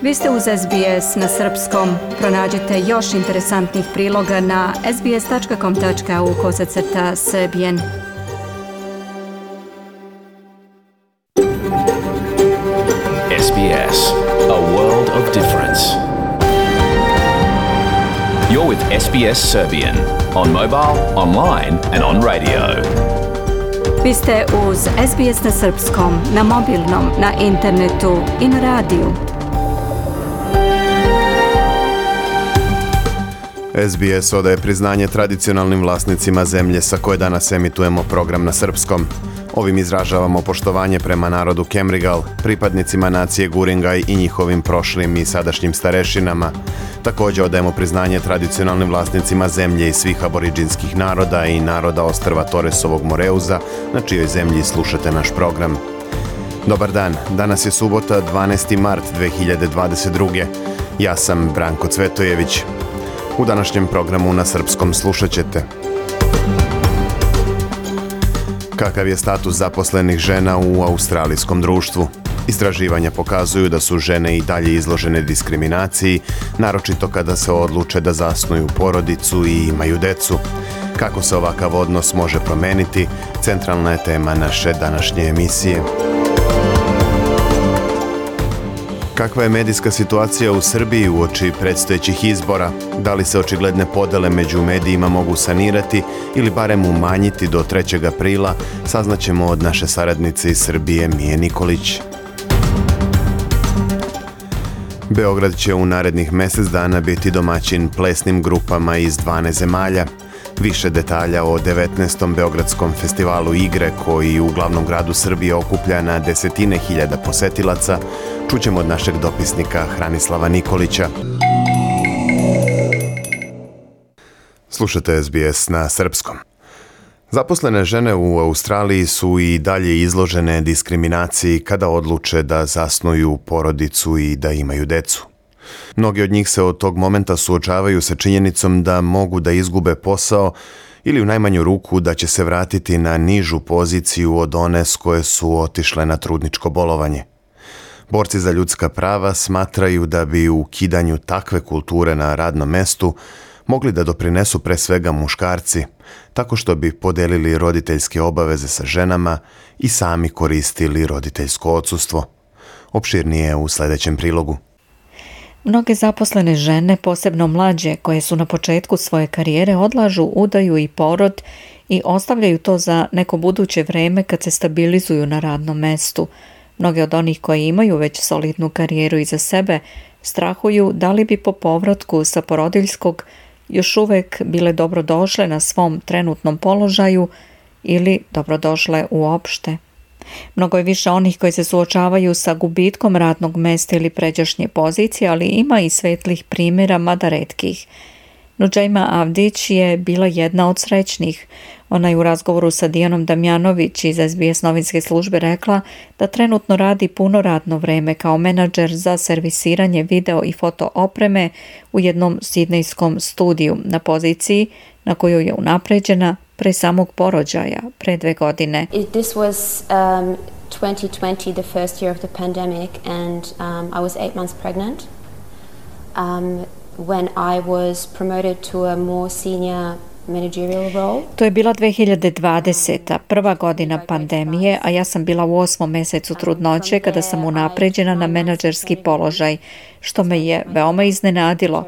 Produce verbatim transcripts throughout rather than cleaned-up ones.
Vi ste uz S B S na srpskom. Pronađite još interesantnih priloga na sbs.com tačka au kosacrta srbijen. S B S, a world of difference. You're with S B S Serbian on mobile, online and on radio. Vi ste uz S B S na srpskom, na mobilnom, na internetu i na radiju. S B S odaje priznanje tradicionalnim vlasnicima zemlje sa koje danas emitujemo program na srpskom. Ovim izražavamo poštovanje prema narodu Kemrigal, pripadnicima nacije Guringaj i njihovim prošlim i sadašnjim starešinama. Također odajemo priznanje tradicionalnim vlasnicima zemlje i svih aboriđinskih naroda i naroda ostrva Toresovog Moreuza, na čijoj zemlji slušate naš program. Dobar dan, danas je subota dvanaesti mart dve hiljade dvadeset druge. Ja sam Branko Cvetojević. U današnjem programu na srpskom slušat ćete: kakav je status zaposlenih žena u australijskom društvu? Istraživanja pokazuju da su žene i dalje izložene diskriminaciji, naročito kada se odluče da zasnuju porodicu i imaju decu. Kako se ovakav odnos može promeniti, centralna je tema naše današnje emisije. Kakva je medijska situacija u Srbiji uoči predstojećih izbora? Da li se očigledne podele među medijima mogu sanirati ili barem umanjiti do trećeg aprila, saznaćemo od naše saradnice iz Srbije Mije Nikolić. Beograd će u narednih mjesec dana biti domaćin plesnim grupama iz dvanaest zemalja. Više detalja o devetnaestom Beogradskom festivalu igre, koji u glavnom gradu Srbije okuplja na desetine hiljada posetilaca, čućemo od našeg dopisnika Hranislava Nikolića. Slušate S B S na srpskom. Zaposlene žene u Australiji su i dalje izložene diskriminaciji kada odluče da zasnuju porodicu i da imaju decu. Mnogi od njih se od tog momenta suočavaju sa činjenicom da mogu da izgube posao ili u najmanju ruku da će se vratiti na nižu poziciju od one s koje su otišle na trudničko bolovanje. Borci za ljudska prava smatraju da bi u ukidanju takve kulture na radnom mestu mogli da doprinesu pre svega muškarci, tako što bi podelili roditeljske obaveze sa ženama i sami koristili roditeljsko odsustvo. Opširnije u sljedećem prilogu. Mnoge zaposlene žene, posebno mlađe, koje su na početku svoje karijere, odlažu udaju i porod i ostavljaju to za neko buduće vreme kad se stabilizuju na radnom mestu. Mnoge od onih koji imaju već solidnu karijeru iza sebe strahuju da li bi po povratku sa porodiljskog još uvek bile dobrodošle na svom trenutnom položaju ili dobrodošle uopšte. Mnogo je više onih koji se suočavaju sa gubitkom radnog mesta ili pređašnje pozicije, ali ima i svetlih primjera, mada retkih. Nuđajma Avdić je bila jedna od srećnih. Ona je u razgovoru sa Dijanom Damjanović iz S B S novinske službe rekla da trenutno radi puno radno vreme kao menadžer za servisiranje video i foto opreme u jednom sidnejskom studiju na poziciji na kojoj je unapređena pre samog porođaja, pre dve godine. This was um, twenty twenty, the first year of the pandemic, and um, I was eight months pregnant. Um, when I was promoted to a more senior managerial role. To je bila dve hiljade dvadeseta, prva godina pandemije, a ja sam bila u osmom mesecu trudnoće kada sam unapređena na menadžerski položaj, što me je veoma iznenadilo.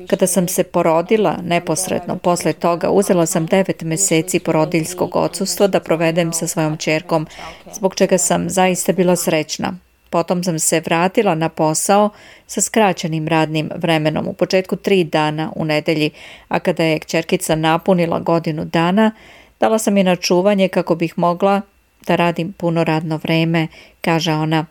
Kada sam se porodila, neposredno posle toga uzela sam devet meseci porodiljskog odsustva da provedem sa svojom ćerkom, zbog čega sam zaista bila srećna. Potom sam se vratila na posao sa skraćenim radnim vremenom, u početku tri dana u nedelji, a kada je kćerkica napunila godinu dana, dala sam je na čuvanje kako bih mogla da radim puno radno vreme, kaže ona.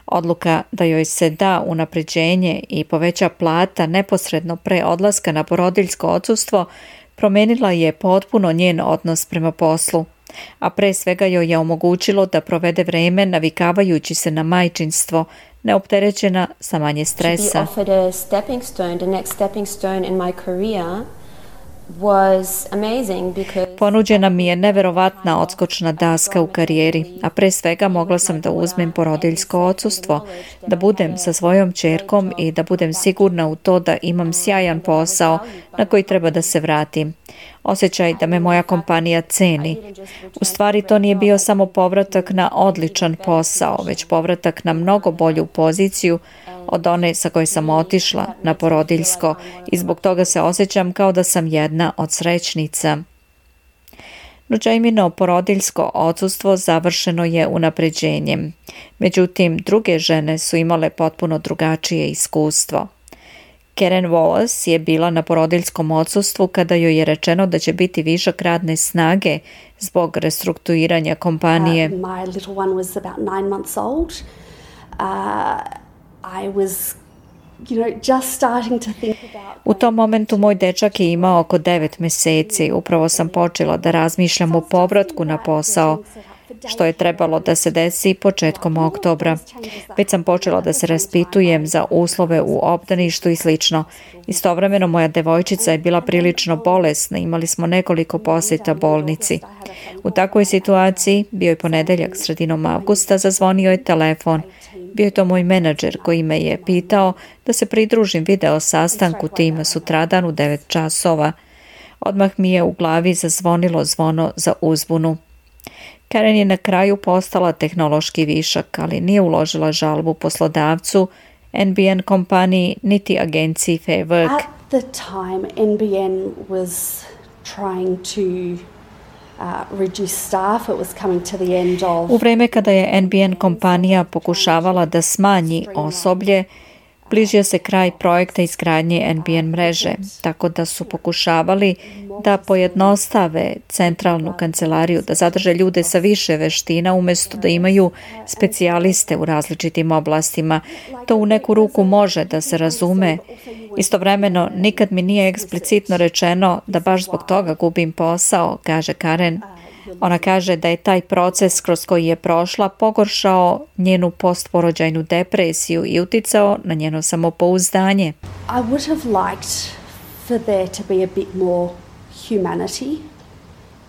Odluka da joj se da unapređenje i poveća plata neposredno pre odlaska na porodiljsko odsustvo promenila je potpuno njen odnos prema poslu, a pre svega joj je omogućilo da provede vreme navikavajući se na majčinstvo, neopterećena sa manje stresa. was amazing because Ponuđena mi je neverovatna odskočna daska u karijeri, a pre svega mogla sam da uzmem porodiljsko odsustvo, da budem sa svojom ćerkom i da budem sigurna u to da imam sjajan posao na koji treba da se vratim. Osjećaj da me moja kompanija ceni. U stvari to nije bio samo povratak na odličan posao, već povratak na mnogo bolju poziciju od one sa koje sam otišla na porodiljsko i zbog toga se osjećam kao da sam jedna od srećnica. No Jamino porodiljsko odsustvo završeno je unapređenjem. Međutim, druge žene su imale potpuno drugačije iskustvo. Karen Wallace je bila na porodiljskom odsustvu kada joj je rečeno da će biti višak radne snage zbog restrukturiranja kompanije. Uh, my little one was about nine months old. Uh, I was, you know, just starting to think about... U tom momentu moj dečak je imao oko devet meseci. Upravo sam počela da razmišljam o povratku na posao, što je trebalo da se desi početkom oktobra. Već sam počela da se raspitujem za uslove u obdaništu i slično. Istovremeno moja devojčica je bila prilično bolesna, imali smo nekoliko posjeta bolnici. U takvoj situaciji, bio je ponedeljak sredinom avgusta, zazvonio je telefon. Bio je to moj menadžer koji me je pitao da se pridružim video sastanku tima sutradan u devet časova. Odmah mi je u glavi zazvonilo zvono za uzbunu. Karen je na kraju postala tehnološki višak, ali nije uložila žalbu poslodavcu, N B N kompaniji, niti agenciji Fair Work. At the time, N B N was trying to uh, reduce staff. It was coming to the end of... U vreme kada je N B N kompanija pokušavala da smanji osoblje, bližio se kraj projekta izgradnje N B N mreže, tako da su pokušavali da pojednostave centralnu kancelariju, da zadrže ljude sa više veština umjesto da imaju specijaliste u različitim oblastima. To u neku ruku može da se razume. Istovremeno, nikad mi nije eksplicitno rečeno da baš zbog toga gubim posao, kaže Karen. Ona kaže da je taj proces kroz koji je prošla pogoršao njenu postporođajnu depresiju i uticao na njeno samopouzdanje. I would have liked for there to be a bit more humanity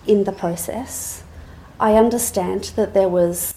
in the process. I understand that there was...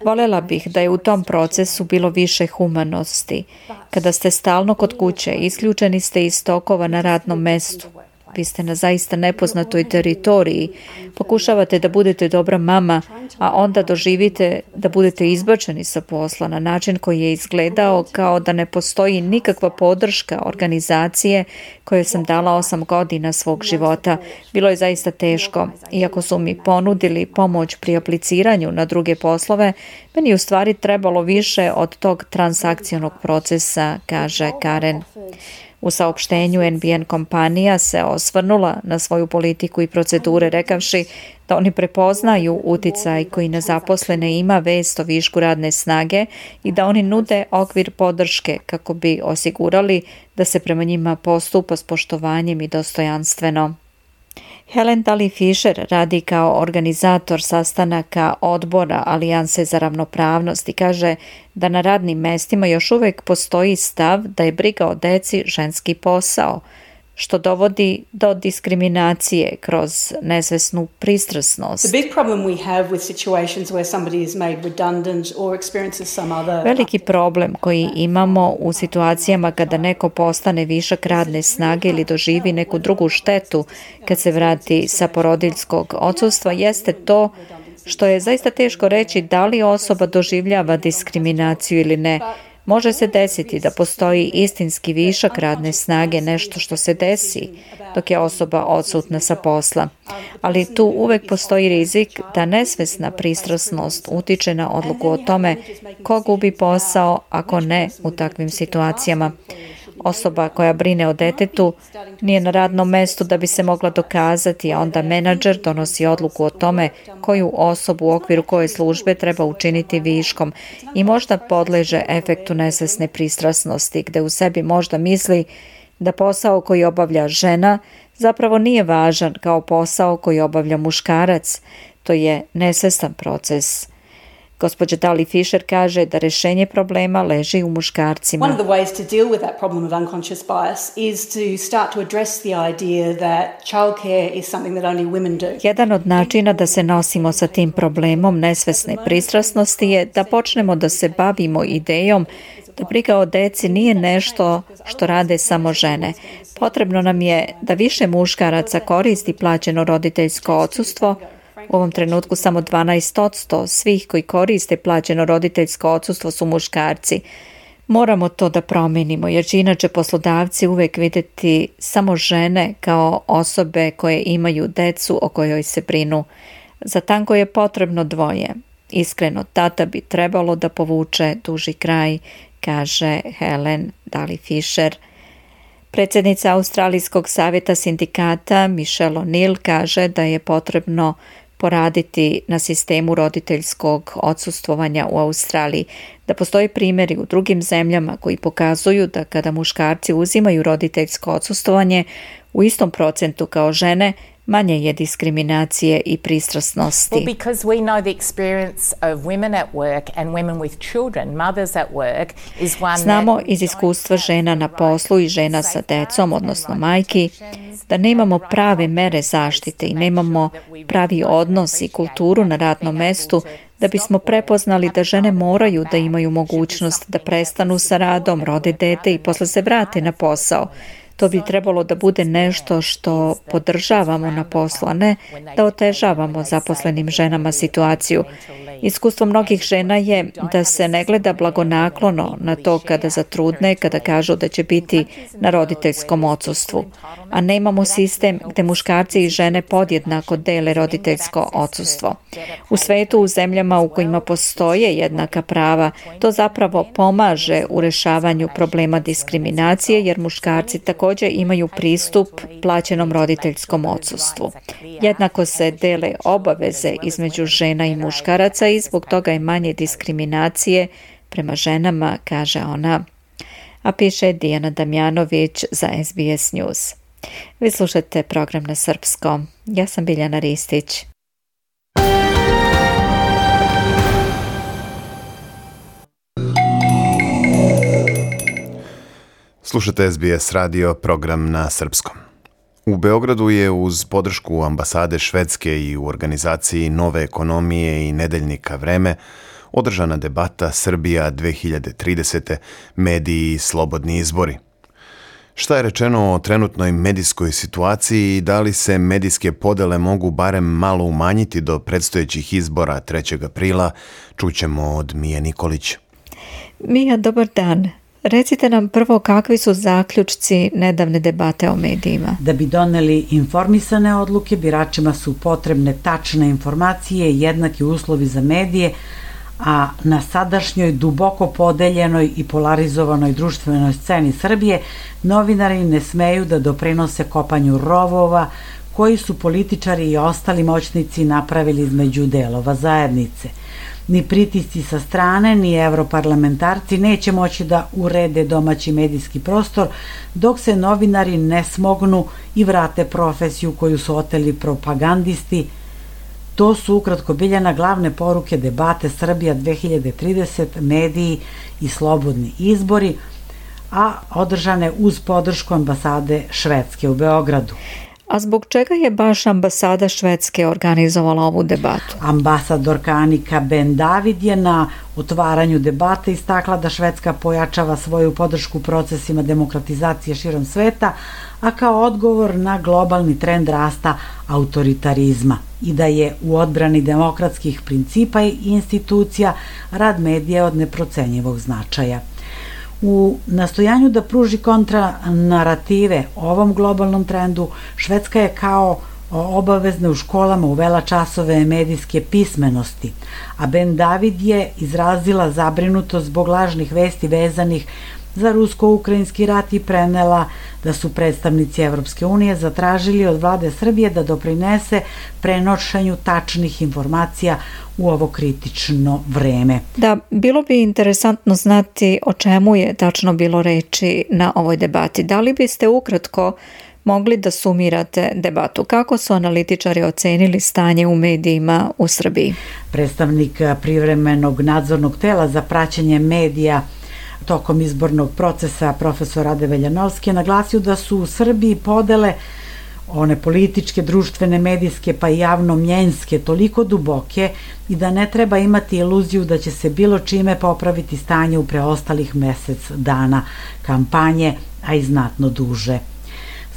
Volela bih da je u tom procesu bilo više humanosti. Kada ste stalno kod kuće, isključeni ste iz tokova na radnom mestu. Vi ste na zaista nepoznatoj teritoriji. Pokušavate da budete dobra mama, a onda doživite da budete izbačeni sa posla na način koji je izgledao kao da ne postoji nikakva podrška organizacije kojoj sam dala osam godina svog života. Bilo je zaista teško. Iako su mi ponudili pomoć pri apliciranju na druge poslove, meni je u stvari trebalo više od tog transakcionog procesa, kaže Karen. U saopštenju N B N kompanija se osvrnula na svoju politiku i procedure rekavši da oni prepoznaju uticaj koji na zaposlene ima vest o višku radne snage i da oni nude okvir podrške kako bi osigurali da se prema njima postupa s poštovanjem i dostojanstveno. Helen Daly Fisher radi kao organizator sastanaka odbora Alijanse za ravnopravnost i kaže da na radnim mestima još uvijek postoji stav da je briga o deci ženski posao, što dovodi do diskriminacije kroz nesvesnu pristrasnost. The big problem we have with situations where somebody is made redundant or experiences some other... Veliki problem koji imamo u situacijama kada neko postane višak radne snage ili doživi neku drugu štetu kad se vrati sa porodiljskog odsustva jeste to što je zaista teško reći da li osoba doživljava diskriminaciju ili ne. Može se desiti da postoji istinski višak radne snage, nešto što se desi dok je osoba odsutna sa posla. Ali tu uvek postoji rizik da nesvesna pristrasnost utiče na odluku o tome ko gubi posao, ako ne u takvim situacijama. Osoba koja brine o detetu nije na radnom mestu da bi se mogla dokazati, a onda menadžer donosi odluku o tome koju osobu u okviru koje službe treba učiniti viškom i možda podleže efektu nesvesne pristrasnosti, gde u sebi možda misli da posao koji obavlja žena zapravo nije važan kao posao koji obavlja muškarac. To je nesvestan proces. Gospođa Dali Fisher kaže da rešenje problema leži u muškarcima. One of the ways to deal with that problem of unconscious bias is to start to address the idea that childcare is something that only women do. Jedan od načina da se nosimo sa tim problemom nesvesne pristrasnosti je da počnemo da se bavimo idejom da briga o deci nije nešto što rade samo žene. Potrebno nam je da više muškaraca koristi plaćeno roditeljsko odsustvo. U ovom trenutku samo dvanaest posto svih koji koriste plaćeno roditeljsko odsustvo su muškarci. Moramo to da promenimo jer će inače poslodavci uvek videti samo žene kao osobe koje imaju decu o kojoj se brinu. Za tango je potrebno dvoje. Iskreno, tata bi trebalo da povuče duži kraj, kaže Helen Dali Fisher. Predsjednica Australijskog savjeta sindikata Michelle O'Neill kaže da je potrebno poraditi na sistemu roditeljskog odsustvovanja u Australiji, da postoje primjeri u drugim zemljama koji pokazuju da kada muškarci uzimaju roditeljsko odsustvovanje u istom procentu kao žene, manje je diskriminacije i pristrasnosti. Well, because we know the experience of women at work and women with children, mothers at work, is one Znamo iz iskustva žena na poslu i žena sa decom, odnosno majki, da nemamo prave mere zaštite i nemamo pravi odnos i kulturu na radnom mestu da bismo prepoznali da žene moraju da imaju mogućnost da prestanu sa radom, rode dete i posle se vrate na posao. To bi trebalo da bude nešto što podržavamo na poslu, a ne da otežavamo zaposlenim ženama situaciju. Iskustvo mnogih žena je da se ne gleda blagonaklono na to kada zatrudne, kada kažu da će biti na roditeljskom odsustvu. A nemamo sistem gde muškarci i žene podjednako dele roditeljsko odsustvo. U svetu, u zemljama u kojima postoje jednaka prava, to zapravo pomaže u rešavanju problema diskriminacije, jer muškarci također imaju pristup plaćenom roditeljskom odsustvu. Jednako se dele obaveze između žena i muškaraca i zbog toga je manje diskriminacije prema ženama, kaže ona. A piše Dijana Damjanović za S B S News. Vi slušate program na srpskom. Ja sam Biljana Ristić. Slušate S B S radio, program na srpskom. U Beogradu je uz podršku ambasade Švedske i u organizaciji Nove ekonomije i nedeljnika Vreme održana debata Srbija dve hiljade tridesete. Mediji i slobodni izbori. Šta je rečeno o trenutnoj medijskoj situaciji i da li se medijske podele mogu barem malo umanjiti do predstojećih izbora trećeg aprila, čućemo od Mije Nikolić. Mija, dobar dan. Recite nam prvo kakvi su zaključci nedavne debate o medijima. Da bi doneli informisane odluke, biračima su potrebne tačne informacije i jednaki uslovi za medije, a na sadašnjoj duboko podeljenoj i polarizovanoj društvenoj sceni Srbije novinari ne smeju da doprinose kopanju rovova koji su političari i ostali moćnici napravili između delova zajednice. Ni pritisci sa strane, ni evroparlamentarci neće moći da urede domaći medijski prostor dok se novinari ne smognu i vrate profesiju koju su oteli propagandisti. To su ukratko Biljana glavne poruke debate Srbija dve hiljade tridesete, mediji i slobodni izbori, a održane uz podršku ambasade Švedske u Beogradu. A zbog čega je baš ambasada Švedske organizovala ovu debatu? Ambasadorka Anika Ben David je na otvaranju debate istakla da Švedska pojačava svoju podršku procesima demokratizacije širom sveta, a kao odgovor na globalni trend rasta autoritarizma i da je u odbrani demokratskih principa i institucija rad medija od neprocenjivog značaja. U nastojanju da pruži kontranarative ovom globalnom trendu, Švedska je kao obavezna u školama uvela časove medijske pismenosti, a Ben David je izrazila zabrinutost zbog lažnih vesti vezanih za rusko-ukrajinski rat i prenela da su predstavnici Evropske unije zatražili od vlade Srbije da doprinese prenošenju tačnih informacija u ovo kritično vreme. Da, bilo bi interesantno znati o čemu je tačno bilo reči na ovoj debati. Da li biste ukratko mogli da sumirate debatu. Kako su analitičari ocenili stanje u medijima u Srbiji? Predstavnik privremenog nadzornog tela za praćenje medija tokom izbornog procesa, profesor Rade Veljanovski, je naglasio da su u Srbiji podele, one političke, društvene, medijske pa i javno-mjenjske, toliko duboke i da ne treba imati iluziju da će se bilo čime popraviti stanje u preostalih mesec dana kampanje, a i znatno duže.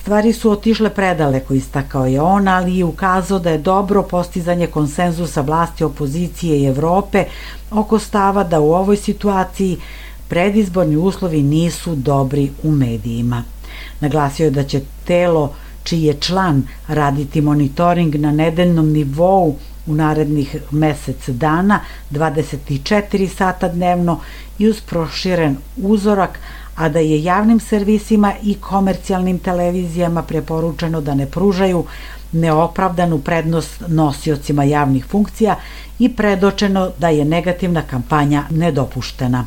Stvari su otišle predaleko, istakao je on, ali i ukazao da je dobro postizanje konsenzusa vlasti, opozicije i Evrope oko stava da u ovoj situaciji predizborni uslovi nisu dobri u medijima. Naglasio je da će telo čiji je član raditi monitoring na nedeljnom nivou u narednih mesec dana, dvadeset četiri sata dnevno i uz proširen uzorak, a da je javnim servisima i komercijalnim televizijama preporučeno da ne pružaju neopravdanu prednost nosiocima javnih funkcija i predočeno da je negativna kampanja nedopuštena.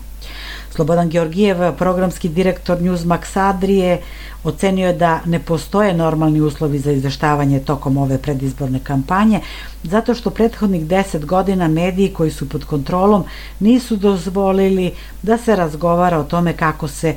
Slobodan Georgijev, programski direktor Newsmax Adrije, ocenio je da ne postoje normalni uslovi za izveštavanje tokom ove predizborne kampanje, zato što prethodnih deset godina mediji koji su pod kontrolom nisu dozvolili da se razgovara o tome kako se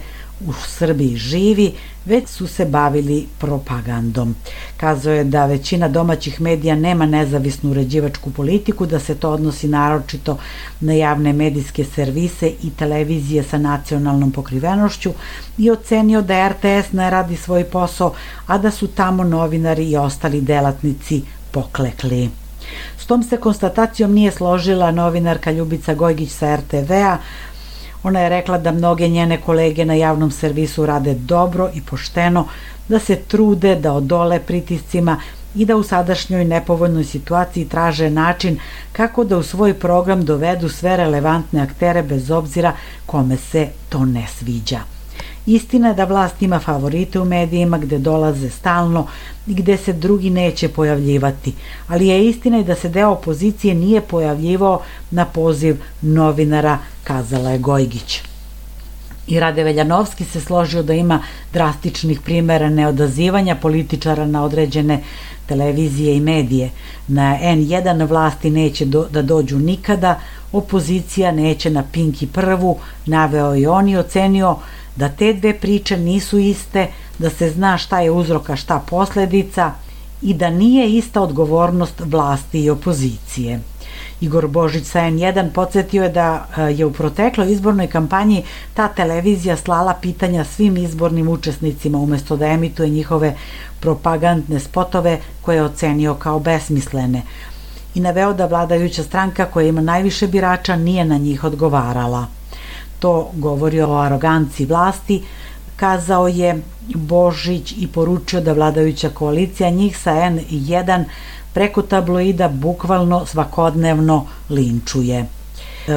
u Srbiji živi, već su se bavili propagandom. Kazao je da većina domaćih medija nema nezavisnu uređivačku politiku, da se to odnosi naročito na javne medijske servise i televizije sa nacionalnom pokrivenošću i ocenio da er te es ne radi svoj posao, a da su tamo novinari i ostali delatnici poklekli. S tom se konstatacijom nije složila novinarka Ljubica Gojgić sa er te ve a. Ona je rekla da mnoge njene kolege na javnom servisu rade dobro i pošteno, da se trude da odole pritiscima i da u sadašnjoj nepovoljnoj situaciji traže način kako da u svoj program dovedu sve relevantne aktere bez obzira kome se to ne sviđa. Istina je da vlast ima favorite u medijima gde dolaze stalno i gde se drugi neće pojavljivati, ali je istina i da se deo opozicije nije pojavljivao na poziv novinara, kazala je Gojgić. I Rade Veljanovski se složio da ima drastičnih primera neodazivanja političara na određene televizije i medije. Na en jedan vlasti neće do, da dođu nikada, opozicija neće na Pink i Prvu, naveo i on i ocenio da te dve priče nisu iste, da se zna šta je uzrok, a šta posledica i da nije ista odgovornost vlasti i opozicije. Igor Božić sa en jedan podsjetio je da je u protekloj izbornoj kampanji ta televizija slala pitanja svim izbornim učesnicima umesto da emituje njihove propagandne spotove koje je ocenio kao besmislene i naveo da vladajuća stranka koja ima najviše birača nije na njih odgovarala. To govori o aroganciji vlasti, kazao je Božić i poručio da vladajuća koalicija njih sa en jedan preko tabloida bukvalno svakodnevno linčuje.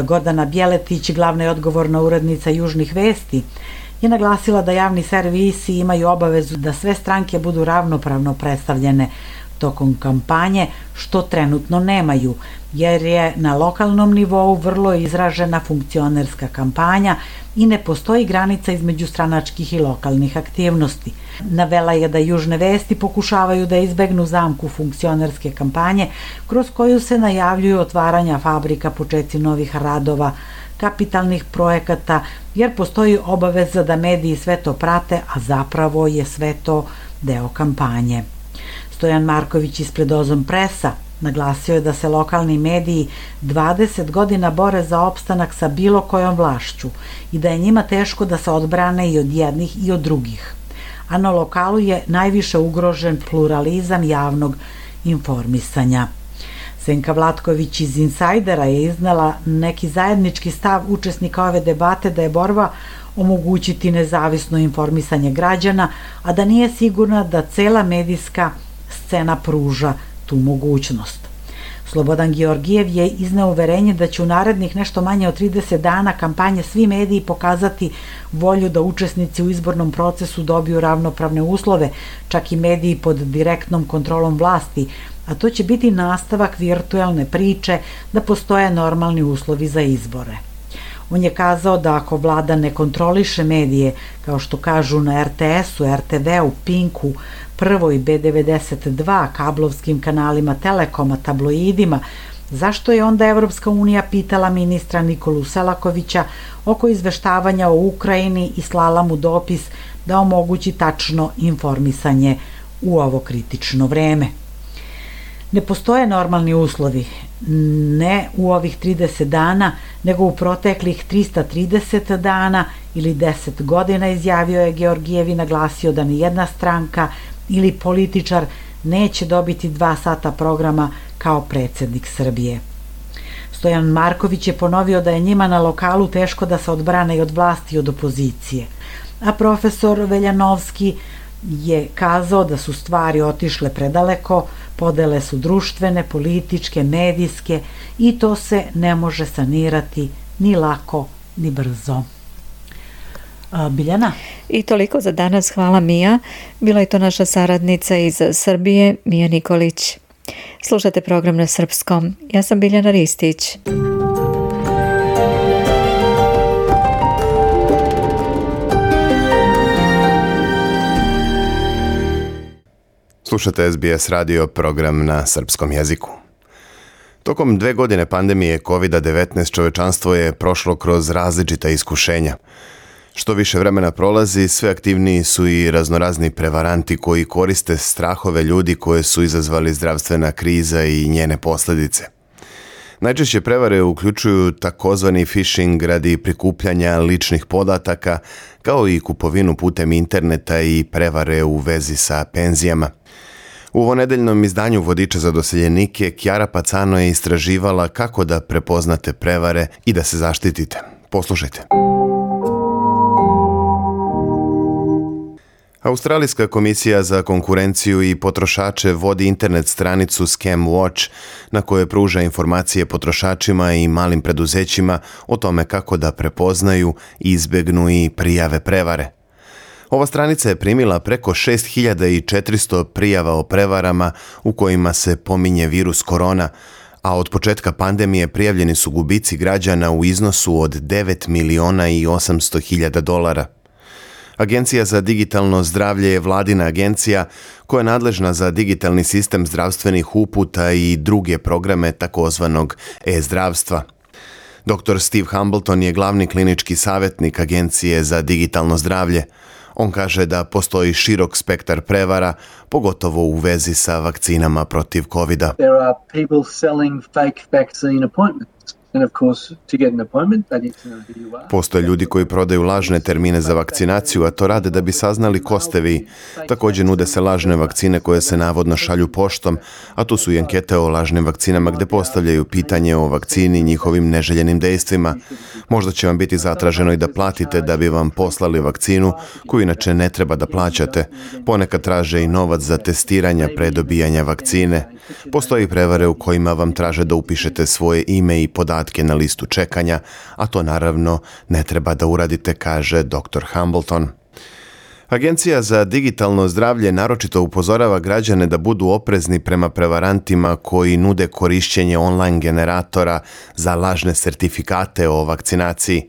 Gordana Bjeletić, glavna i odgovorna urednica Južnih vesti, je naglasila da javni servisi imaju obavezu da sve stranke budu ravnopravno predstavljene tokom kampanje, što trenutno nemaju, jer je na lokalnom nivou vrlo izražena funkcionerska kampanja i ne postoji granica između stranačkih i lokalnih aktivnosti. Navela je da Južne vesti pokušavaju da izbegnu zamku funkcionerske kampanje kroz koju se najavljuju otvaranja fabrika, počeci novih radova, kapitalnih projekata, jer postoji obaveza da mediji sve to prate, a zapravo je sve to deo kampanje. Stojan Marković ispred Ozon Presa naglasio je da se lokalni mediji dvadeset godina bore za opstanak sa bilo kojom vlašću i da je njima teško da se odbrane i od jednih i od drugih. A na lokalu je najviše ugrožen pluralizam javnog informisanja. Senka Vlatković iz Insajdera je iznala neki zajednički stav učesnika ove debate da je borba omogućiti nezavisno informisanje građana, a da nije sigurna da cela medijska scena pruža tu mogućnost. Slobodan Georgijev je izneo uverenje da će u narednih nešto manje od trideset dana kampanje svi mediji pokazati volju da učesnici u izbornom procesu dobiju ravnopravne uslove, čak i mediji pod direktnom kontrolom vlasti, a to će biti nastavak virtualne priče da postoje normalni uslovi za izbore. On je kazao da ako vlada ne kontroliše medije, kao što kažu na er te esu, er te ve u, Pinku, prvoj B devedeset dva, kablovskim kanalima Telekoma, tabloidima, zašto je onda Evropska unija pitala ministra Nikolu Selakovića oko izveštavanja o Ukrajini i slala mu dopis da omogući tačno informisanje u ovo kritično vreme? Ne postoje normalni uslovi, ne u ovih trideset dana, nego u proteklih trista trideset dana ili deset godina, izjavio je Georgijev i naglasio da ni jedna stranka ili političar neće dobiti dva sata programa kao predsjednik Srbije. Stojan Marković je ponovio da je njima na lokalu teško da se odbrane i od vlasti i od opozicije, a profesor Veljanovski je kazao da su stvari otišle predaleko, podele su društvene, političke, medijske i to se ne može sanirati ni lako ni brzo. A, Biljana? I toliko za danas, hvala Mija. Bila je to naša saradnica iz Srbije, Mija Nikolić. Slušate program na srpskom. Ja sam Biljana Ristić. Slušate S B S radio, program na srpskom jeziku. Tokom dve godine pandemije kovid devetnaest čovečanstvo je prošlo kroz različita iskušenja. Što više vremena prolazi, sve aktivniji su i raznorazni prevaranti koji koriste strahove ljudi koje su izazvali zdravstvena kriza i njene posljedice. Najčešće prevare uključuju takozvani phishing radi prikupljanja ličnih podataka, kao i kupovinu putem interneta i prevare u vezi sa penzijama. U ovonedeljnom izdanju Vodiča za doseljenike Kjara Pacano je istraživala kako da prepoznate prevare i da se zaštitite. Poslušajte. Australijska komisija za konkurenciju i potrošače vodi internet stranicu Scam Watch na kojoj pruža informacije potrošačima i malim preduzećima o tome kako da prepoznaju, izbegnu i prijave prevare. Ova stranica je primila preko šest hiljada četiristo prijava o prevarama u kojima se pominje virus korona, a od početka pandemije prijavljeni su gubici građana u iznosu od devet miliona i osamsto hiljada dolara. Agencija za digitalno zdravlje je vladina agencija koja je nadležna za digitalni sistem zdravstvenih uputa i druge programe takozvanog e-zdravstva. doktor Steve Hambleton je glavni klinički savjetnik Agencije za digitalno zdravlje. On kaže da postoji širok spektar prevara, pogotovo u vezi sa vakcinama protiv kovida. There are people selling fake vaccine appointments. And of course, to get an appointment, they need to know who you are. Postoje ljudi koji prodaju lažne termine za vakcinaciju, a to rade da bi saznali ko ste vi. Također nude se lažne vakcine koje se navodno šalju poštom, a tu su i ankete o lažnim vakcinama gde postavljaju pitanje o vakcini i njihovim neželjenim dejstvima. Možda će vam biti zatraženo i da platite da bi vam poslali vakcinu koju inače ne treba da plaćate. Ponekad traže i novac za testiranja pre dobijanja vakcine. Postoji prevare u kojima vam traže da upišete svoje ime i podatke na listu čekanja, a to naravno ne treba da uradite, kaže doktor Hambleton. Agencija za digitalno zdravlje naročito upozorava građane da budu oprezni prema prevarantima koji nude korišćenje online generatora za lažne sertifikate o vakcinaciji.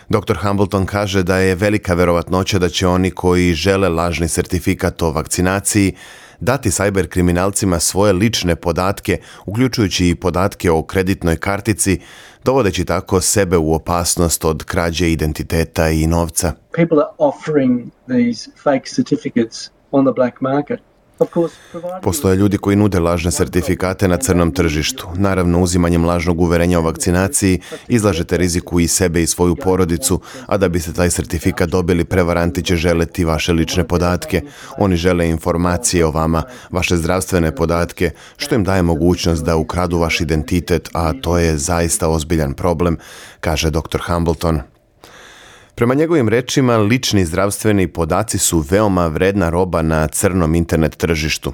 doktor Hambleton kaže da je velika verovatnoća da će oni koji žele lažni sertifikat o vakcinaciji dati sajber kriminalcima svoje lične podatke, uključujući i podatke o kreditnoj kartici, dovodeći tako sebe u opasnost od krađe identiteta i novca. People are offering these fake certificates on the black market. Postoje ljudi koji nude lažne sertifikate na crnom tržištu. Naravno, uzimanjem lažnog uverenja o vakcinaciji izlažete riziku i sebe i svoju porodicu, a da biste taj sertifikat dobili, prevaranti će želeti vaše lične podatke. Oni žele informacije o vama, vaše zdravstvene podatke, što im daje mogućnost da ukradu vaš identitet, a to je zaista ozbiljan problem, kaže doktor Hambleton. Prema njegovim rečima, lični zdravstveni podaci su veoma vredna roba na crnom internet tržištu.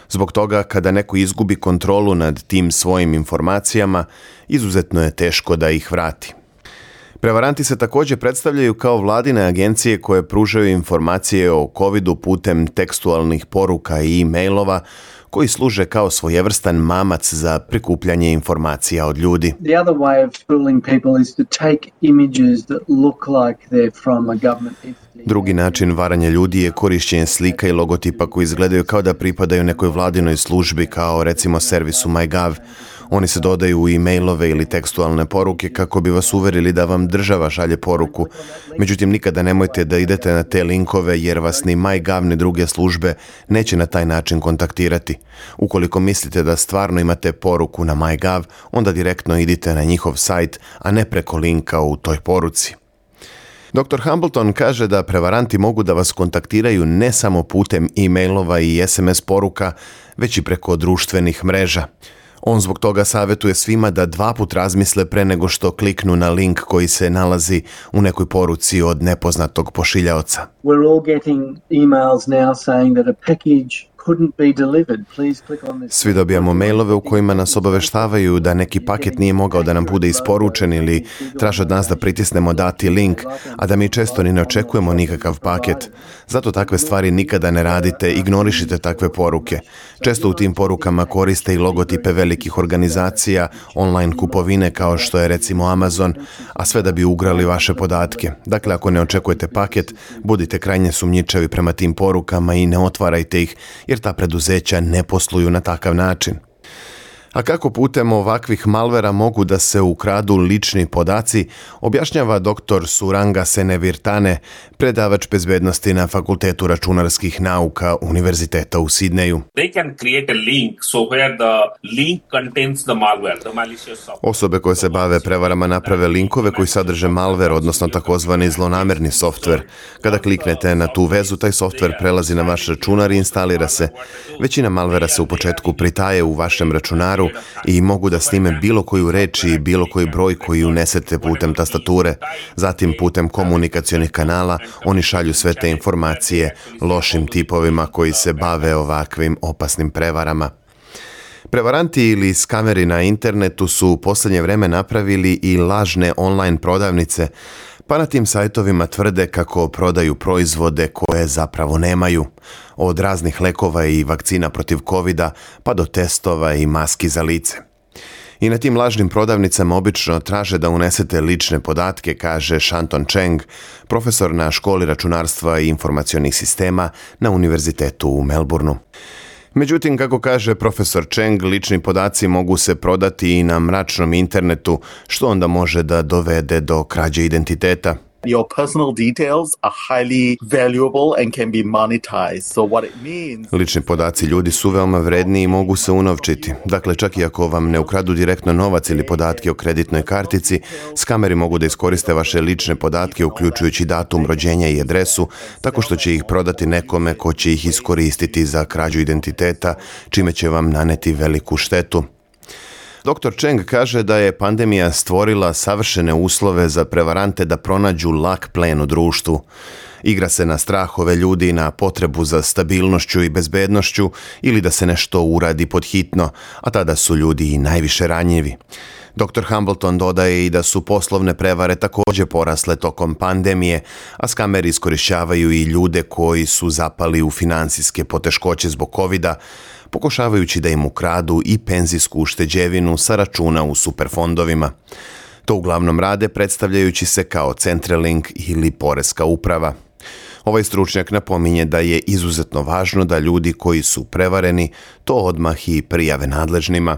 Zbog toga, kada neko izgubi kontrolu nad tim svojim informacijama, izuzetno je teško da ih vrati. Prevaranti se također predstavljaju kao vladine agencije koje pružaju informacije o covidu putem tekstualnih poruka i e-mailova koji služe kao svojevrstan mamac za prikupljanje informacija od ljudi. The other way of fooling people is to take images that look like they're from a government entity. Drugi način varanja ljudi je korišćenje slika i logotipa koji izgledaju kao da pripadaju nekoj vladinoj službi, kao recimo servisu MyGov. Oni se dodaju u e-mailove ili tekstualne poruke kako bi vas uverili da vam država šalje poruku. Međutim, nikada nemojte da idete na te linkove jer vas ni MyGov ni druge službe neće na taj način kontaktirati. Ukoliko mislite da stvarno imate poruku na MyGov, onda direktno idite na njihov sajt, a ne preko linka u toj poruci. doktor Hambleton kaže da prevaranti mogu da vas kontaktiraju ne samo putem e-mailova i es em es poruka, već i preko društvenih mreža. On zbog toga savjetuje svima da dva put razmisle pre nego što kliknu na link koji se nalazi u nekoj poruci od nepoznatog pošiljaoca. We're all getting emails now saying that a package couldn't be delivered. Please click on this. Svi dobijamo mailove u kojima nas obaveštavaju da neki paket nije mogao da nam bude isporučen ili traže od nas da pritisnemo dati link, a da mi često ni ne očekujemo nikakav paket. Zato takve stvari nikada ne radite, ignorišite takve poruke. Često u tim porukama koriste i logotipe velikih organizacija, online kupovine kao što je recimo Amazon, a sve da bi ugrali vaše podatke. Dakle, ako ne očekujete paket, budite krajnje sumnjičavi prema tim porukama i ne otvarajte ih, jer ta preduzeća ne posluju na takav način. A kako putem ovakvih malvera mogu da se ukradu lični podaci, objašnjava doktor Suranga Senevirtane, predavač bezbednosti na Fakultetu računarskih nauka Univerziteta u Sidneju. They can create a link so where the link contains the malware, the malicious software. Osobe koje se bave prevarama naprave linkove koji sadrže malver, odnosno takozvani zlonamerni softver. Kada kliknete na tu vezu, taj softver prelazi na vaš računar i instalira se. Većina malvera se u početku pritaje u vašem računaru i mogu da snime bilo koju reč i bilo koji broj koji unesete putem tastature. Zatim putem komunikacionih kanala oni šalju sve te informacije lošim tipovima koji se bave ovakvim opasnim prevarama. Prevaranti ili skameri na internetu su u posljednje vreme napravili i lažne online prodavnice, pa na tim sajtovima tvrde kako prodaju proizvode koje zapravo nemaju. Od raznih lekova i vakcina protiv kovida pa do testova i maski za lice. I na tim lažnim prodavnicama obično traže da unesete lične podatke, kaže Shanton Cheng, profesor na školi računarstva i informacionih sistema na Univerzitetu u Melbourneu. Međutim, kako kaže profesor Cheng, lični podaci mogu se prodati i na mračnom internetu, što onda može da dovede do krađe identiteta. Your personal details are highly valuable and can be monetized. So what it means... Lični podaci ljudi su veoma vredni i mogu se unovčiti. Dakle, čak i ako vam ne ukradu direktno novac ili podatke o kreditnoj kartici, skameri mogu da iskoriste vaše lične podatke, uključujući datum rođenja i adresu, tako što će ih prodati nekome ko će ih iskoristiti za krađu identiteta, čime će vam naneti veliku štetu. doktor Cheng kaže da je pandemija stvorila savršene uslove za prevarante da pronađu lak plen u društvu. Igra se na strahove ljudi, na potrebu za stabilnošću i bezbednošću ili da se nešto uradi podhitno, a tada su ljudi i najviše ranjivi. doktor Hambleton dodaje i da su poslovne prevare također porasle tokom pandemije, a skameri iskorišćavaju i ljude koji su zapali u finansijske poteškoće zbog kovida, pokušavajući da im ukradu i penzijsku ušteđevinu sa računa u superfondovima. To uglavnom rade predstavljajući se kao Centrelink ili Poreska uprava. Ovaj stručnjak napominje da je izuzetno važno da ljudi koji su prevareni to odmah i prijave nadležnima.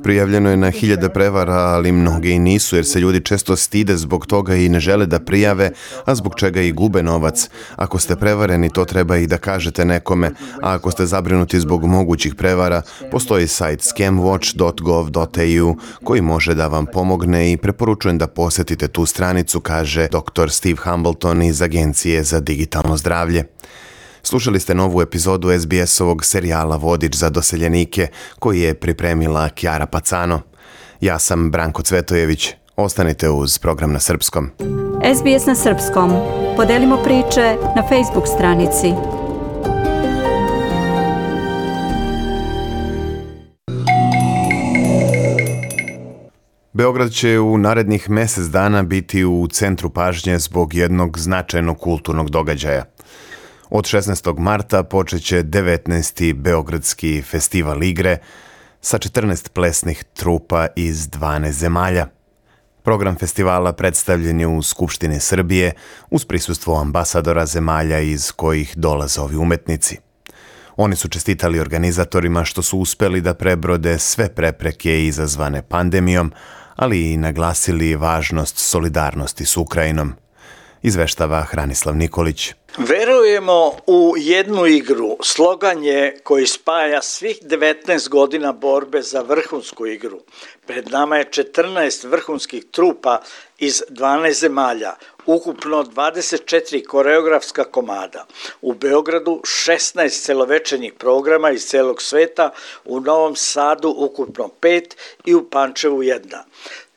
Prijavljeno je na hiljade prevara, ali mnoge i nisu, jer se ljudi često stide zbog toga i ne žele da prijave, a zbog čega i gube novac. Ako ste prevareni, to treba i da kažete nekome, a ako ste zabrinuti zbog mogućih prevara, postoji sajt scam watch dot gov dot a u koji može da vam pomogne i preporučujem da posjetite tu stranicu, kaže doktor Steve Hambleton iz Agencije za digitalno zdravlje. Slušali ste novu epizodu es be es-ovog serijala Vodič za doseljenike koji je pripremila Kjara Pacano. Ja sam Branko Cvetojević. Ostanite uz program na srpskom. es be es na srpskom. Podelimo priče na Facebook stranici. Beograd će u narednih mjesec dana biti u centru pažnje zbog jednog značajnog kulturnog događaja. Od šesnaestog marta počeće devetnaesti Beogradski festival igre sa četrnaest plesnih trupa iz dvanaest zemalja. Program festivala predstavljen je u Skupštini Srbije uz prisustvo ambasadora zemalja iz kojih dolaze ovi umetnici. Oni su čestitali organizatorima što su uspeli da prebrode sve prepreke izazvane pandemijom, ali i naglasili važnost solidarnosti s Ukrajinom. Izveštava Hranislav Nikolić. Verujemo u jednu igru. Slogan je koji spaja svih devetnaest godina borbe za vrhunsku igru. Pred nama je četrnaest vrhunskih trupa iz dvanaest zemalja, ukupno dvadeset četiri koreografska komada. U Beogradu šesnaest celovečernjih programa iz celog sveta, u Novom Sadu ukupno pet i u Pančevu jedna.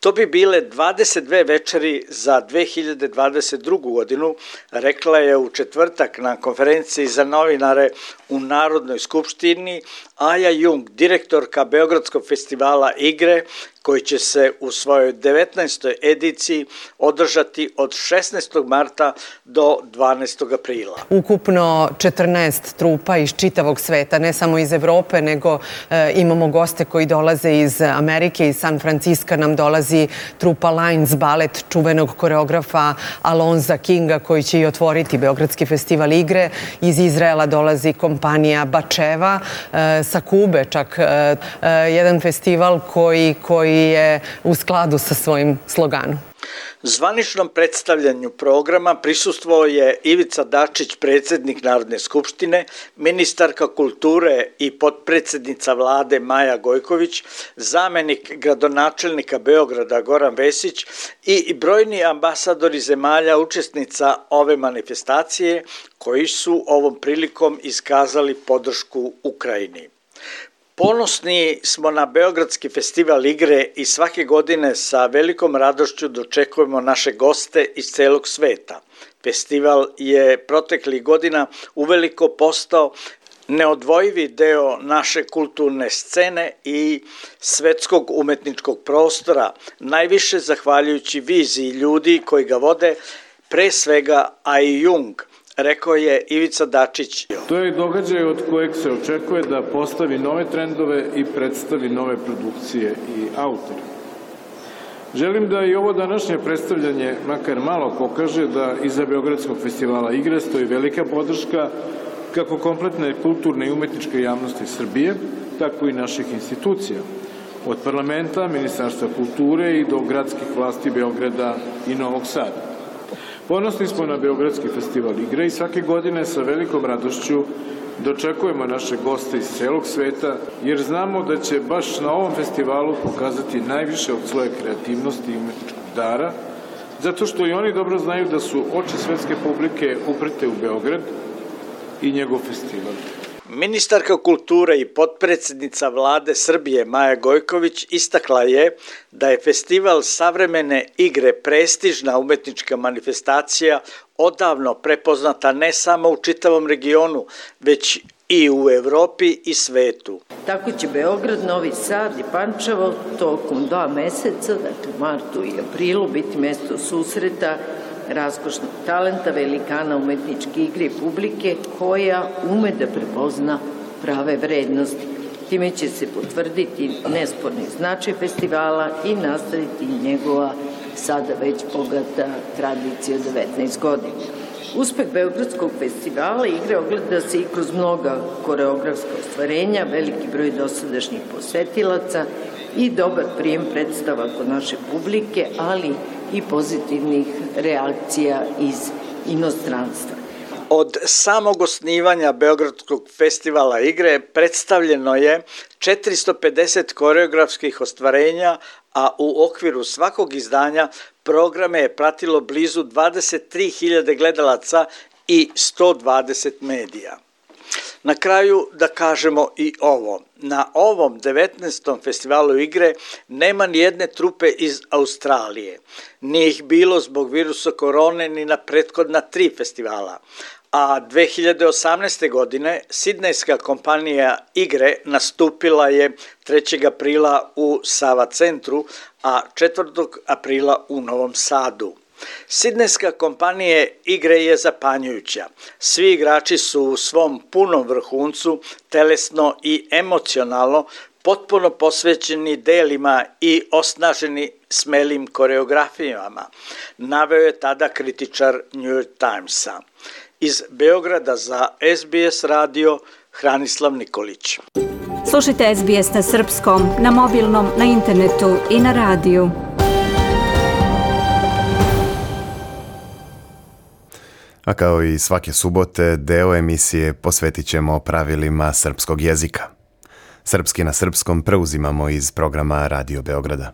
To bi bile dvadeset dve večeri za dve hiljade dvadeset drugu. godinu, rekla je u četvrtak na konferenciji za novinare u Narodnoj skupštini Aja Jung, direktorka Beogradskog festivala igre, koji će se u svojoj devetnaestoj ediciji održati od šesnaestog marta do dvanaestog aprila. Ukupno četrnaest trupa iz čitavog sveta, ne samo iz Evrope, nego e, imamo goste koji dolaze iz Amerike, iz San Franciska nam dolazi trupa Lions Ballet, čuvenog koreografa Alonza Kinga, koji će i otvoriti Beogradski festival igre. Iz Izraela dolazi kompanija Bačeva, e, sa Kube čak e, e, jedan festival koji, koji je u skladu sa svojim sloganom. Zvaničnom predstavljanju programa prisustvovao je Ivica Dačić, predsjednik Narodne skupštine, ministarka kulture i potpredsjednica vlade Maja Gojković, zamenik gradonačelnika Beograda Goran Vesić i brojni ambasadori zemalja učesnica ove manifestacije koji su ovom prilikom iskazali podršku Ukrajini. Ponosni smo na Beogradski festival igre i svake godine sa velikom radošću dočekujemo naše goste iz celog sveta. Festival je proteklih godina uveliko postao neodvojivi deo naše kulturne scene i svetskog umetničkog prostora, najviše zahvaljujući viziji ljudi koji ga vode, pre svega Aji Jung, rekao je Ivica Dačić. To je događaj od kojeg se očekuje da postavi nove trendove i predstavi nove produkcije i autore. Želim da i ovo današnje predstavljanje makar malo pokaže da iza Beogradskog festivala igre stoji velika podrška kako kompletne kulturne i umetničke javnosti Srbije, tako i naših institucija. Od parlamenta, Ministarstva kulture i do gradskih vlasti Beograda i Novog Sada. Ponosni smo na Beogradski festival igre i svake godine sa velikom radošću dočekujemo naše goste iz celog sveta, jer znamo da će baš na ovom festivalu pokazati najviše od svoje kreativnosti i umetničkog dara, zato što i oni dobro znaju da su oči svetske publike uprte u Beograd i njegov festival. Ministarka kulture i potpredsjednica vlade Srbije Maja Gojković istakla je da je festival savremene igre prestižna umetnička manifestacija odavno prepoznata ne samo u čitavom regionu, već i u Evropi i svetu. Tako će Beograd, Novi Sad i Pančevo tokom dva meseca, dakle martu i aprilu, biti mesto susreta raskošnog talenta, velikana umetničke igre i publike koja ume da prepozna prave vrednosti. Time će se potvrditi nesporni značaj festivala i nastaviti njegova sada već bogata tradicija od devetnaest godina. Uspeh Beogradskog festivala igre ogleda se i kroz mnoga koreografska ostvarenja, veliki broj dosadašnjih posetilaca i dobar prijem predstava kod naše publike, ali i pozitivnih reakcija iz inostranstva. Od samog osnivanja Beogradskog festivala igre predstavljeno je četiristo pedeset koreografskih ostvarenja, a u okviru svakog izdanja programe je pratilo blizu dvadeset tri hiljade gledalaca i sto dvadeset medija. Na kraju da kažemo i ovo. Na ovom devetnaestom festivalu igre nema ni jedne trupe iz Australije. Nije ih bilo zbog virusa korone ni na prethodna tri festivala. A dve hiljade osamnaeste. godine sidnejska kompanija igre nastupila je trećeg aprila u Sava centru, a četvrtog aprila u Novom Sadu. Sidnejska kompanija igre je zapanjujuća. Svi igrači su u svom punom vrhuncu, telesno i emocionalno, potpuno posvećeni delima i osnaženi smelim koreografijama, naveo je tada kritičar New York Timesa. Iz Beograda za S B S radio Hranislav Nikolić. Slušajte S B S na srpskom, na mobilnom, na internetu i na radiju. A kao i svake subote, deo emisije posvetit ćemo pravilima srpskog jezika. Srpski na srpskom preuzimamo iz programa Radio Beograda.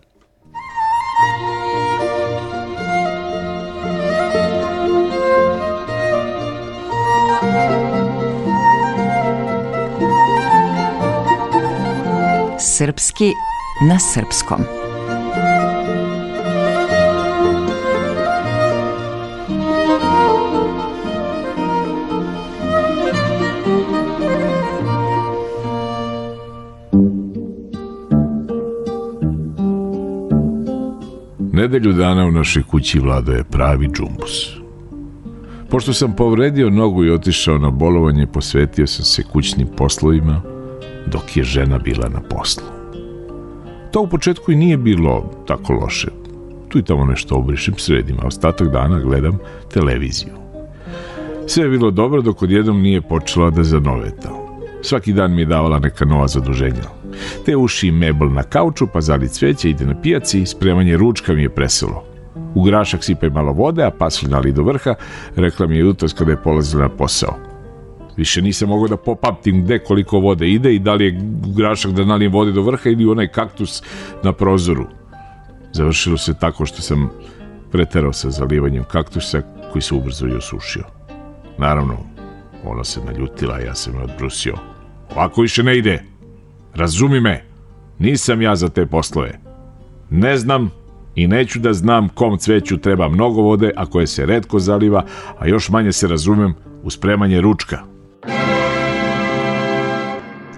Srpski na srpskom. Nedelju dana u našoj kući vladao je pravi džumbus. Pošto sam povredio nogu i otišao na bolovanje, posvetio sam se kućnim poslovima, dok je žena bila na poslu. To u početku i nije bilo tako loše. Tu i tamo nešto obrišem, sredim, a ostatak dana gledam televiziju. Sve je bilo dobro dok odjednom nije počela da zanoveta. Svaki dan mi je davala neka nova zaduženja. Te uši mebel na kauču, pa zali cveće, ide na pijaci, spremanje ručka mi je preselo. U grašak sipaj malo vode, a pasulj nali do vrha, rekla mi je jutros kada je polazila na posao. Više nisam mogao da popamtim gde koliko vode ide i da li je grašak da nalijem vode do vrha ili onaj kaktus na prozoru. Završilo se tako što sam preterao sa zalivanjem kaktusa koji se ubrzo i osušio. Naravno, ona se naljutila, a ja sam je odbrusio. Ovako više ne ide. Razumi me, nisam ja za te poslove. Ne znam i neću da znam kom cveću treba mnogo vode, a koje se retko zaliva, a još manje se razumem u spremanje ručka.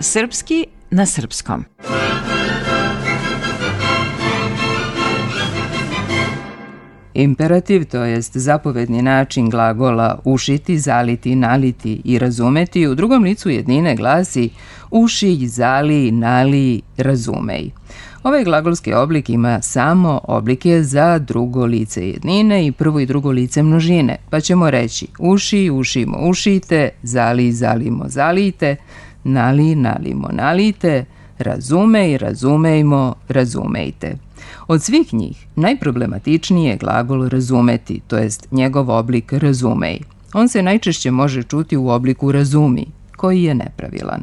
Srpski na srpskom. Imperativ, to jest zapovedni način glagola ušiti, zaliti, naliti i razumeti, u drugom licu jednine glasi uši, zali, nali, razumej. Ovaj glagolski oblik ima samo oblike za drugo lice jednine i prvo i drugo lice množine, pa ćemo reći uši, ušimo, ušite, zali, zalimo, zalite, nali, nalimo, nalite, razumej, razumejmo, razumejte. Od svih njih najproblematičniji je glagol razumeti, to jest njegov oblik razumej. On se najčešće može čuti u obliku razumi, koji je nepravilan.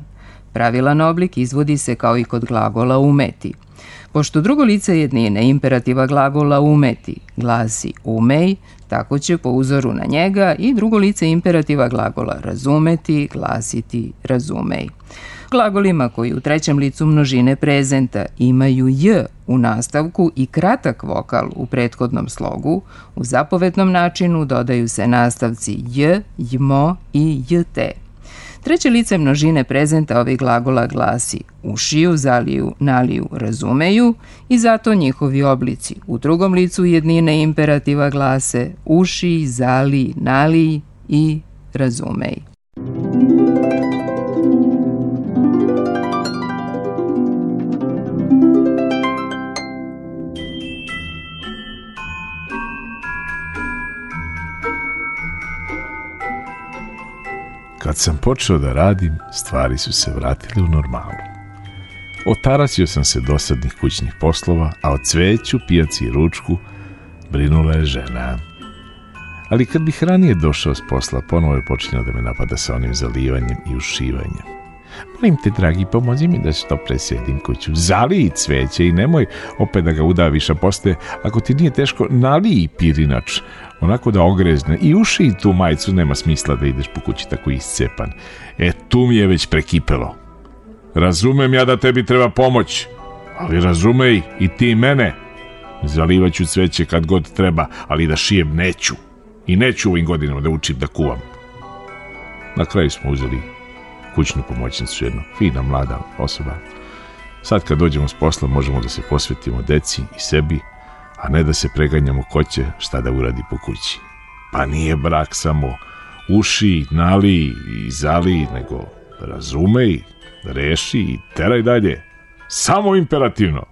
Pravilan oblik izvodi se kao i kod glagola umeti. Pošto drugo lice jednine imperativa glagola umeti glasi umej, tako će po uzoru na njega i drugo lice imperativa glagola razumeti glasiti razumej. Glagolima koji u trećem licu množine prezenta imaju j u nastavku i kratak vokal u prethodnom slogu, u zapovednom načinu dodaju se nastavci j, jmo i jt. Treće lice množine prezenta ovih glagola glasi ušiju, zaliju, naliju, razumeju i zato njihovi oblici u drugom licu jednine imperativa glase uši, zali, nali i razumej. Kad sam počeo da radim, stvari su se vratile u normalu. Otarasio sam se dosadnih kućnih poslova, a o cveću, pijaci i ručku brinula je žena. Ali kad bih ranije došao s posla, ponovo je počinjao da me napada sa onim zalivanjem i ušivanjem. Molim te, dragi, pomozi mi da što presjedim kuću. Zaliji cveće i nemoj opet da ga udaviš, a posle, ako ti nije teško, naliji pirinač, onako da ogrezne i uši i tu majicu, nema smisla da ideš po kući tako iscepan. E, tu mi je već prekipelo. Razumem ja da tebi treba pomoć, ali razumej i ti mene. Zalivaću cveće kad god treba, ali da šijem neću. I neću ovim godinama da učim da kuvam. Na kraju smo uzeli kućnu pomoćnicu, jedna fina mlada osoba. Sad kad dođemo s posla možemo da se posvetimo deci i sebi, a ne da se preganjamo ko će šta da uradi po kući. Pa nije brak samo uši, nali i zali, nego razumej, reši i teraj dalje. Samo imperativno.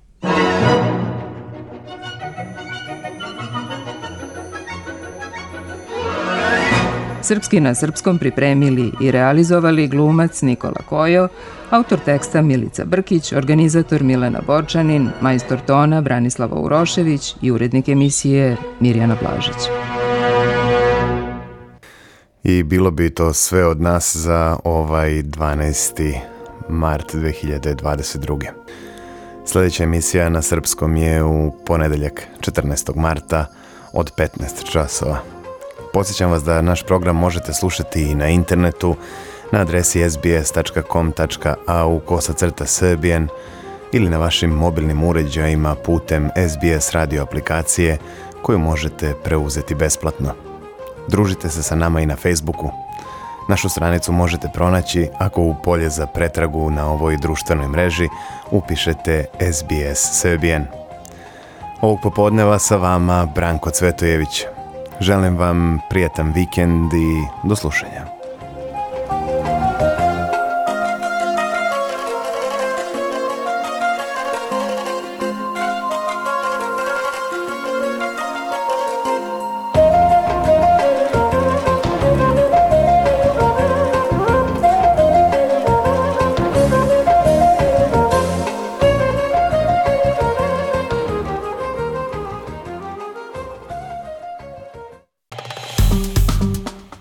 Srpski na srpskom pripremili i realizovali glumac Nikola Kojo, autor teksta Milica Brkić, organizator Milena Borčanin, majstor tona Branislava Urošević i urednik emisije Mirjana Blažić. I bilo bi to sve od nas za ovaj dvanaesti mart dve hiljade dvadeset druge. Sljedeća emisija na srpskom je u ponedeljak četrnaestog marta od petnaest časova. Podsjećam vas da naš program možete slušati i na internetu na adresi es bi es tačka com tačka a u kosacrta srbijen ili na vašim mobilnim uređajima putem es bi es radio aplikacije koju možete preuzeti besplatno. Družite se sa nama i na Facebooku. Našu stranicu možete pronaći ako u polje za pretragu na ovoj društvenoj mreži upišete es bi es Serbian. Ovog popodneva sa vama Branko Cvetojević. Želim vam prijatan vikend i do slušanja.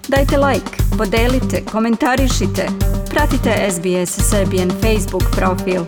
Dajte like, podelite, komentarišite, pratite es bi es Serbian Facebook profil.